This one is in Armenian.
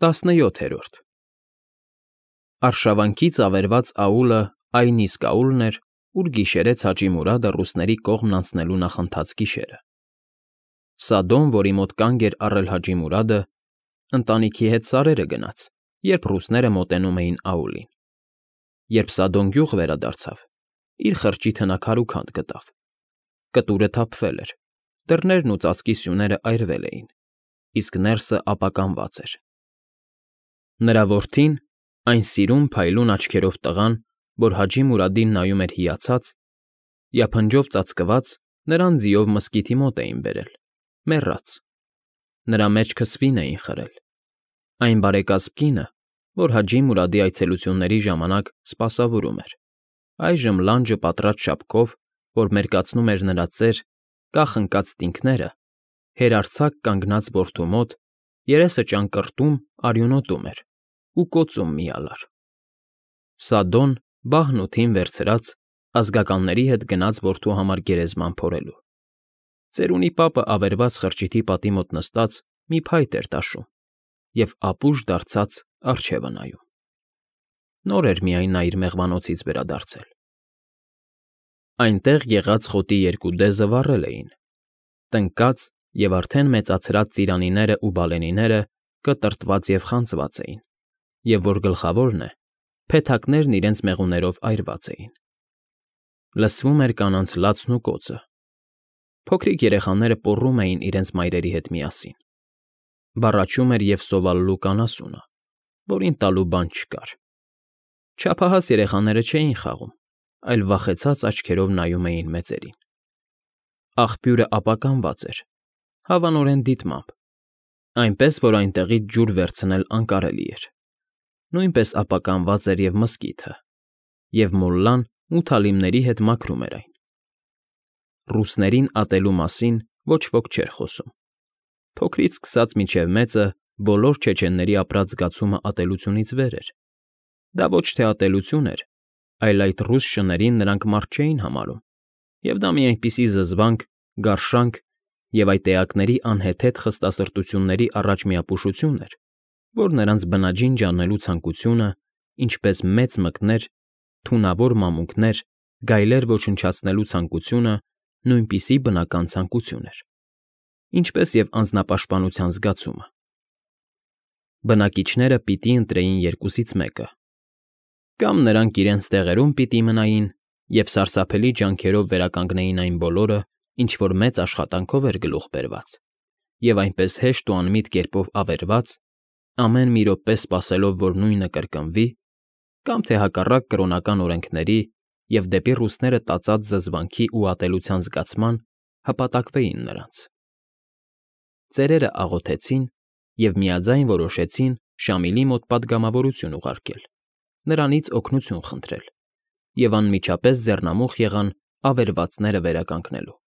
17-րդ Արշավանքից ավերված աուլը այն իսկ աուլն էր, ուր գիշերեց Հաճի Մուրադը ռուսների կողմն անցնելու նախընթաց գիշերը։ Սադոն, որի մոտ կանգ էր առել Հաճի Մուրադը, ընտանիքի հետ սարերը գնաց, երբ ռուսները մոտենում էին աուլին։ Երբ Սադոն գյուղ վերադարձավ, իր խրճիթը նա քարուքանդ գտավ։ Կտուրը թափվել էր, դռներն ու ծածկի սյուները այրվել էին, իսկ ներսը ապականված էր։ Նրա որդին, այն սիրուն փայլուն աչքերով տղան, որ Հաճի Մուրադին նայում էր հիացած, յափնջով ծածկված, նրան ձիով մզկիթի մոտ էին բերել, մեռած։ Նրա մեջքը սվին էին խրել։ Այն բարեկազմ կինը, որ Հաճի Մուրադի այցելությունների ժամանակ սպասավորում էր, այժմ լանջը պատրած շապկով, որ մերկացնում էր նրա ծեր, կախ ընկած ստինքները, հերարձակ կանգնած որդու մոտ, երեսը ճանկռտում արյունոտում էր ու կոծում միալար։ Սադոն, բահն ու թին վերցրած, ազգականների հետ գնաց որդու համար գերեզման փորելու։ Ծերունի պապը ավերված խրճիթի պատի մոտ նստած մի փայտ էր տաշում և ապուշ դարձած առջևը նայում։ Նոր էր միայն նա իր մեղվանոցից վերադարձել։ Այնտեղ եղած խոտի երկու դեզը վառել էին, տնկած և արդեն մեծացրած ծիրանիներն ու բալենիները կտրտված և խանձված էին, և որ գլխավորն է, փեթակներն իրենց մեղուներով այրված էին։ Լսվում էր կանանց լացն ու կոծը։ Փոքրիկ երեխաները պոռում էին իրենց մայրերի հետ միասին։ Բառաչում էր և սովալլուկ անասունը, որին տալու բան չկար։ Չափահաս երեխաները չէին խաղում, այլ վախեցած աչքերով նայում էին մեծերին։ Աղբյուրը ապականված էր, հավանորեն դիտմամբ, այնպես որ այնտեղից ջուր վերցնել անկարելի էր։ Նույնպես ապականված էր և մզկիթը, և մոլլան մութալիմների հետ մաքրում էր այն։ Ռուսներին ատելու մասին ոչ ոք չէր խոսում։ Փոքրից սկսած մինչև մեծը բոլոր չեչենների ապրած զգացումը ատելությունից վեր էր։ Դա ոչ թե ատելություն էր, այլ այդ ռուս շներին նրանք մարդ չէին համարում, և դա մի այնպիսի զզվանք, գարշանք և այդ էակների անհեթեթ խստասրտությունների առաջ միապուշություն էր, որ նրանց բնաջինջ անելու ցանկությունը, ինչպես մեծ մկներ, թունավոր մամուկներ, գայլեր ոչնչացնելու ցանկությունը նույնպիսի բնական ցանկություն էր, ինչպես և անձնապաշտպանության զգացումը։ Բնակիչները պիտի ընտրեին երկուսից մեկը. կամ նրանք իրենց տեղերում պիտի մնային և սարսափելի ջանքերով վերականգնեին այն բոլորը, ինչ որ մեծ աշխատանքով էր գլուխ բերված, և այնպես հեշտ ու անմիտ կերպով ավերված, ամեն մի րոպե սպասելով, որ նույնը կրկնվի, կամ թե հակառակ կրոնական օրենքների և դեպի ռուսները տածած զզվանքի ու ատելության զգացման հպատակվեին նրանց։ Ծերերը աղոթեցին և միաձայն որոշեցին Շամիլի մոտ պատգամավորություն ուղարկել, նրանից օգնություն խնդրել և անմիջապես ձեռնամուխ եղան ավերվածները վերականգնելու։